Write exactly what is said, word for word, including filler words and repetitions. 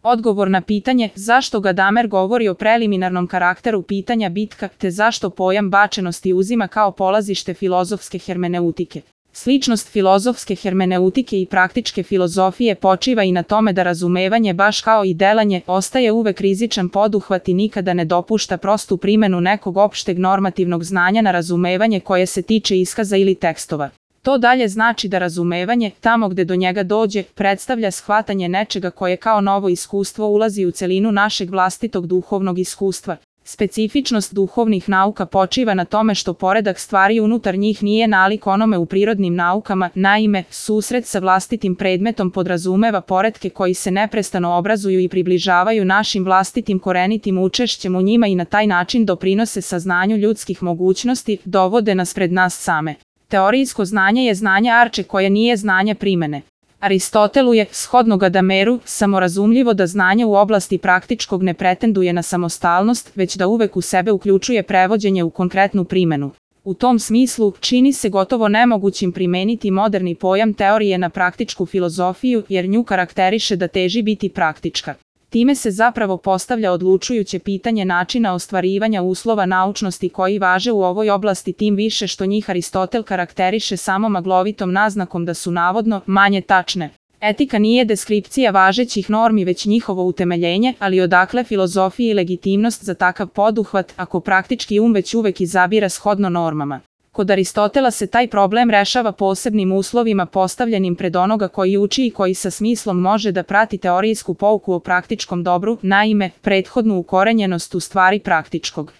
Odgovor na pitanje zašto Gadamer govori o preliminarnom karakteru pitanja bitka, te zašto pojam bačenosti uzima kao polazište filozofske hermeneutike. Sličnost filozofske hermeneutike i praktičke filozofije počiva i na tome da razumevanje, baš kao i delanje, ostaje uvek rizičan poduhvat i nikada ne dopušta prostu primenu nekog opšteg normativnog znanja na razumevanje koje se tiče iskaza ili tekstova. To dalje znači da razumevanje, tamo gde do njega dođe, predstavlja shvatanje nečega koje kao novo iskustvo ulazi u celinu našeg vlastitog duhovnog iskustva. Specifičnost duhovnih nauka počiva na tome što poredak stvari unutar njih nije nalik onome u prirodnim naukama, naime, susret sa vlastitim predmetom podrazumeva poretke koji se neprestano obrazuju i približavaju našim vlastitim korenitim učešćem u njima i na taj način doprinose saznanju ljudskih mogućnosti, dovode nas pred nas same. Teorijsko znanje je znanje arče koje nije znanje primene. Aristotelu je, shodno Gadameru, samorazumljivo da znanje u oblasti praktičkog ne pretenduje na samostalnost, već da uvek u sebe uključuje prevođenje u konkretnu primenu. U tom smislu, čini se gotovo nemogućim primeniti moderni pojam teorije na praktičku filozofiju, jer nju karakteriše da teži biti praktička. Time se zapravo postavlja odlučujuće pitanje načina ostvarivanja uslova naučnosti koji važe u ovoj oblasti, tim više što njih Aristotel karakteriše samo maglovitom naznakom da su navodno manje tačne. Etika nije deskripcija važećih normi već njihovo utemeljenje, ali odakle filozofiji legitimnost za takav poduhvat ako praktički um već uvek izabira shodno normama. Kod Aristotela se taj problem rešava posebnim uslovima postavljenim pred onoga koji uči i koji sa smislom može da prati teorijsku pouku o praktičkom dobru, naime, prethodnu ukorenjenost u stvari praktičkog.